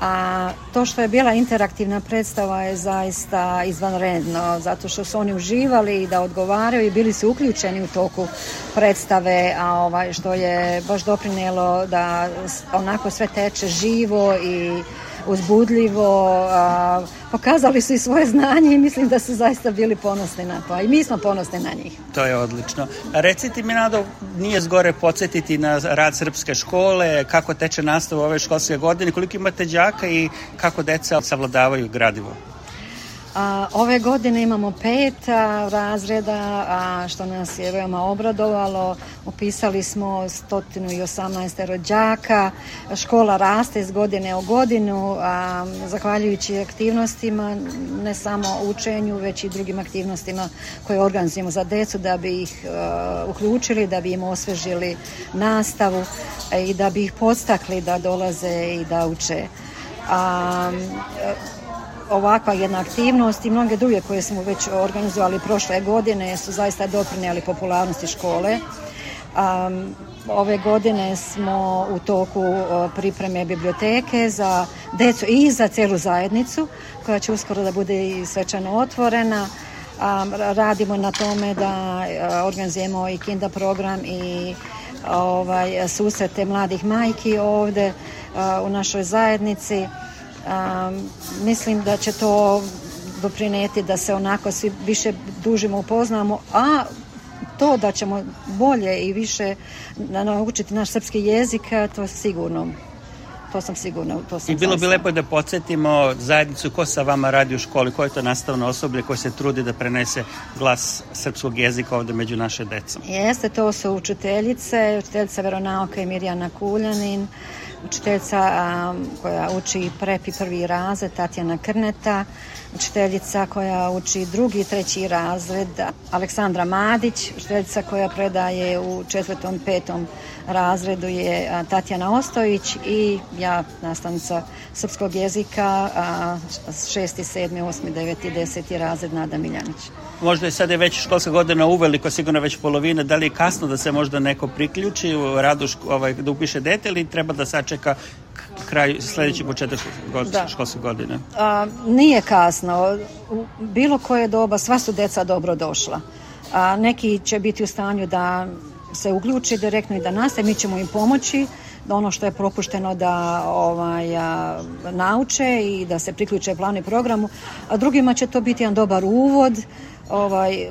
A to što je bila interaktivna predstava je zaista izvanredno, zato što su oni uživali da odgovaraju i bili su uključeni u toku predstave, a što je baš doprinelo da onako sve teče živo i uzbudljivo. Pokazali su i svoje znanje i mislim da su zaista bili ponosni na to, a i mi smo ponosni na njih. To je odlično. A recite mi, Nado, nije zgore podsjetiti na rad srpske škole, kako teče nastava ove školske godine, koliko imate đaka i kako deca savladavaju gradivo? Ove godine imamo 5 razreda, što nas je veoma obradovalo. Upisali smo 118 rođaka. Škola raste iz godine u godinu, zahvaljujući aktivnostima, ne samo učenju, već i drugim aktivnostima koje organizujemo za decu da bi ih uključili, da bi im osvežili nastavu i da bi ih podstakli da dolaze i da uče. Ovakva jedna aktivnost i mnoge druge koje smo već organizovali prošle godine su zaista doprinijeli popularnosti škole. Ove godine smo u toku pripreme biblioteke za decu i za celu zajednicu, koja će uskoro da bude i svečano otvorena. Radimo na tome da organizujemo i kinda program i susrete mladih majki ovde u našoj zajednici. Mislim da će to doprineti da se onako svi više dužimo upoznamo, a to da ćemo bolje i više naučiti naš srpski jezik, to sigurno. To sam sigurna. I bilo bi lepo da podsjetimo zajednicu ko sa vama radi u školi, ko je to nastavno osoblje koje se trudi da prenese glas srpskog jezika ovde među naše decom. Jeste, to su učiteljica veronauka i Mirjana Kuljanin, učiteljica koja uči prep i prvi razred Tatjana Krneta, učiteljica koja uči drugi i treći razred Aleksandra Madić, učiteljica koja predaje u 4., 5. razredu je Tatjana Ostojić i ja, nastavnica srpskog jezika, 6., 7., 8., 9. i 10. razred Nada Miljanić. Možda je sada već školska godina uveliko, sigurno već polovina, da li je kasno da se možda neko priključi u radu da upiše dete ili treba da sačeka kraj sljedeći početak školske godine? Nije kasno. U bilo koje doba sva su deca dobro došla. Neki će biti u stanju da se uključi direktno i da nastave. Mi ćemo im pomoći da ono što je propušteno da nauče i da se priključe planu i programu. A drugima će to biti jedan dobar uvod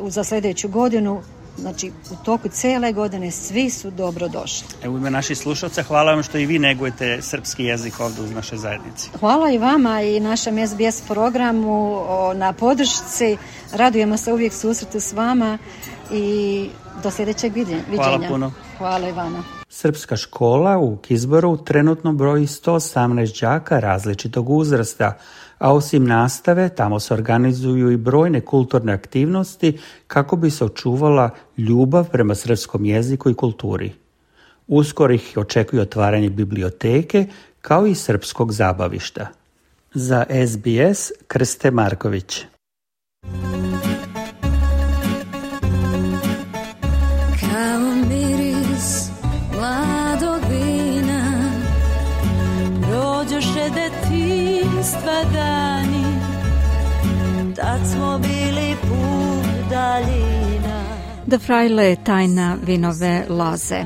za sljedeću godinu. Znači, u toku cele godine svi su dobro došli. U ime naših slušalca, hvala vam što i vi negujete srpski jezik ovdje u našoj zajednici. Hvala i vama i našem SBS programu na podršci. Radujemo se uvijek susretu s vama i do sljedećeg viđenja. Hvala puno. Hvala i vama. Srpska škola u Kizboru trenutno broji 118 đaka različitog uzrasta, a osim nastave tamo se organizuju i brojne kulturne aktivnosti kako bi se očuvala ljubav prema srpskom jeziku i kulturi. Uskoro ih očekuje otvaranje biblioteke kao i srpskog zabavišta. Za SBS Krste Marković. Kao miris mladog vina prođoše detinjstva dani, tad smo bili put daljina. Da Frajle tajna vinove loze.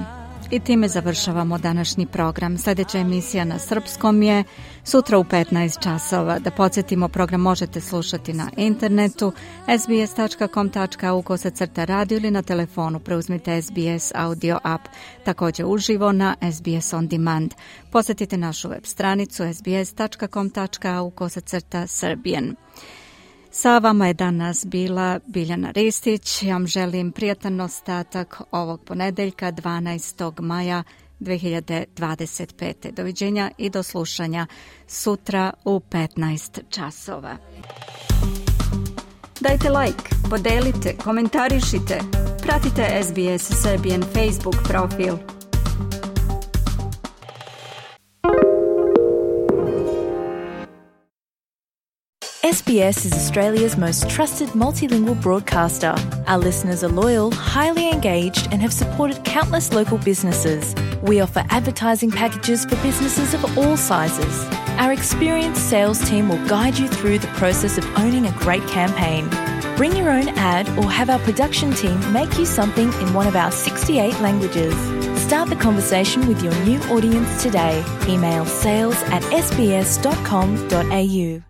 I time završavamo današnji program. Sljedeća emisija na srpskom je sutra u 15 časova. Da podsjetimo, program možete slušati na internetu sbs.com.au/radio ili na telefonu. Preuzmite SBS audio app, također uživo na SBS On Demand. Posjetite našu web stranicu sbs.com.au/Serbian. Sa vama je danas bila Biljana Ristić. Ja vam želim prijatan ostatak ovog ponedeljka 12. maja 2025. Doviđenja i do slušanja sutra u 15 časova. Dajte like, podelite, komentarišite. Pratite SBS Serbian Facebook profil. SBS is Australia's most trusted multilingual broadcaster. Our listeners are loyal, highly engaged, and have supported countless local businesses. We offer advertising packages for businesses of all sizes. Our experienced sales team will guide you through the process of owning a great campaign. Bring your own ad or have our production team make you something in one of our 68 languages. Start the conversation with your new audience today. Email sales@sbs.com.au.